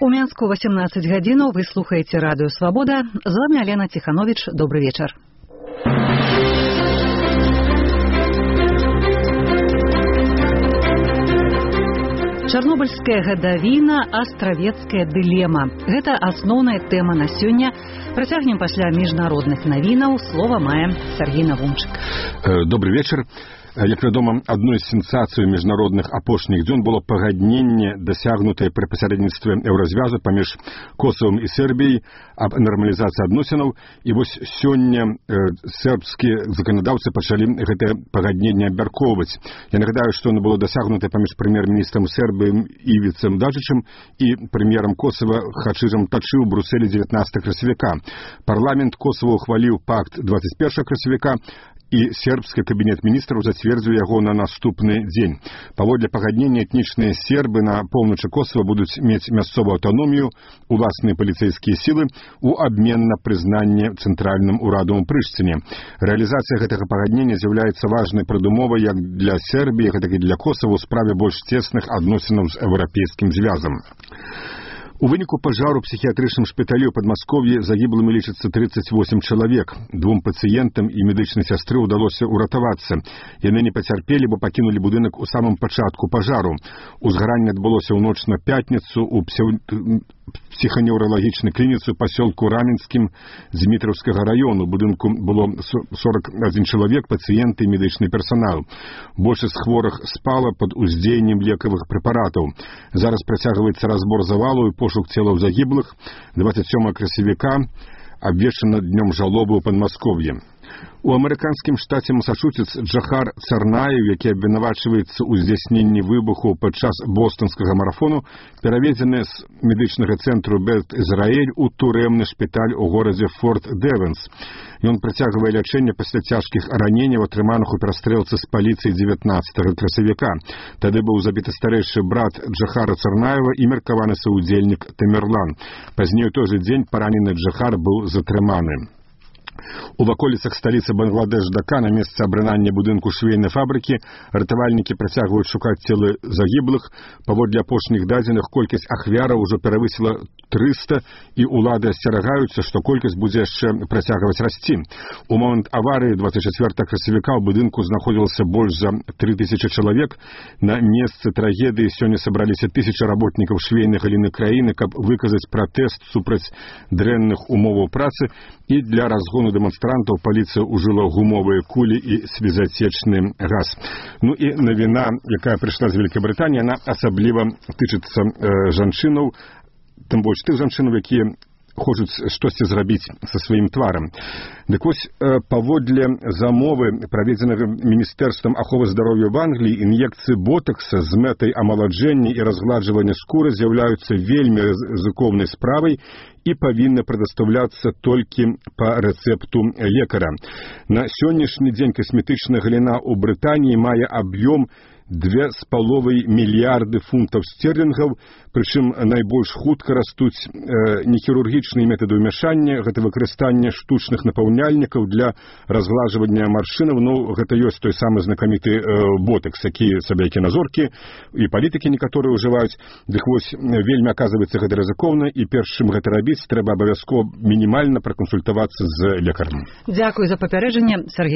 У Менску 18 гадзінаў вы слухаеце радыё Свабода. З вами Алена Тиханович. Добрый вечер. Чарнобыльская гадавіна, астравецкая дылема. Гэта асноўная тэма на сёння. Працягнем пасля міжнародных навінаў. Слова мае Сергей Навумчык. Добрый вечер. Як вядома, адной з сенсацый міжнародных апошніх дзён было пагадненне, дасягнутае пры пасярэдніцтве еўразвязу паміж Косавам і Сербіяй аб нармалізацыі адносінаў. І вось сёння сербскія заканадаўцы пачалі гэтае пагадненне абмяркоўваць. Я нагадаю, што оно было дасягнутае паміж прэм'ер-міністрам Сербіі Івіцам Даджычым і прэм'ерам Косава Хачырам Тачы ў Брюсселі 19 красавіка. Парламент Косава ухваліў пакт 21 красавіка, і сербскі кабінет міністраў зацвердзіў яго на наступны дзень. Паводле пагаднення этнічныя сербы на поўначы Косава будуць мець мясцовую аўтаномію, уласныя паліцэйскія сілы у абмен на прызнанне цэнтральным урадам у Прышціне. Рэалізацыя гэтага пагаднення з'яўляецца важнай прадумовай як для Сербіі, гэтак і для Косава ў справе больш цесных адносінаў з еўрапейскім звязам. У выніку пажару псіхіятрычным шпіталі ў Падмасков'і загіблымі лічыцца 38 чалавек. Двум пацыентам і медычнай сястры ўдалося ўратавацца. Яны не пацярпелі, бо пакінулі будынак у самым пачатку пажару. Узгаранне адбылося ў ноч на пятніцу ў псіханеўралагічнай клініцы ў пасёлку Раменскім Дзмітраўскага раёну. У будынку было 41 чалавек, пацыенты і медычны персанал. Большасць хворых спала пад уздзеяннем лекавых прэпаратаў. Зараз працягваецца разбор завалу і пошук целаў загіблых. 27 красавіка абвешчана днём жалобы ў Падмасков'і. У амерыканскім штаце Масачусетс Джахар Царнаев, які абвінавачваецца ў здзяйсненні выбуху падчас бостанскага марафону, пераведзены з медычнага цэнтру Бет-Ізраэль у турэмны шпіталь у горадзе Форт Дэвенс. Ён працягвае лячэнне пасля цяжкіх раненняў, атрыманых у перастрэлцы з паліцыяй 19 красавіка. Тады быў забіты старэйшы брат Джахара Царнаева і меркаваны саўдзельнік Тамерлан. Пазней у той жа дзень паранены Джахар быў затрыманы. У ваколіцах сталіцы Бангладеш Дака на месцы абрынання будынку швейнай фабрыкі ратавальнікі працягваюць шукаць целы загіблых. Паводле апошніх дадзеных колькасць ахвяраў ужо перавысіла 300, і ўлады асцерагаюцца, што колькасць будзе яшчэ працягваць расці. У момант аварыі 24 красавіка ў будынку знаходзілася больш за 3000 чалавек. На месцы трагедыі сёння сабраліся тысячы работнікаў швейнай галіны краіны, каб выказаць пратэст супраць дрэнных умоваў працы, і для разгону дэманстрантаў паліцыя ўжыла гумовыя кулі і слезацечны газ. Ну і навіна, якая прыйшла з Вялікай Брытаніі, яна асабліва тычыцца жанчынаў, тым больш тых жанчынаў, якія хочуць штосьці зрабіць са сваім тварам. Дык вось, паводле замовы, праведзенага Міністэрствам аховы здароўя в Англіі, ін'екцыі ботакса з мэтай амаладжэння і разгладжвання скуры з'яўляюцца вельмі рызыкоўнай справай і павінны прадастаўляцца толькі па рэцэпту лекара. На сённяшні дзень касметычная галіна ў Брытаніі мае аб'ём 2,5 мільярды фунтаў стэрлінгаў, прычым найбольш хутка растуць нехірургічныя метады ўмяшання, гэта выкарыстанне штучных напаўняльнікаў для разглажвання маршчынаў. Ну, гэта ёсць той самы знакаміты ботакс, які сабе-кіназоркі і палітыкі некаторыя ўжываюць. Дык вось, вельмі аказваецца гэта рызыкоўна, і перш чым гэта рабіць, трэба абавязкова мінімальна пракансультавацца з лекарам. Дзякуй за папярэджанне, Сергей.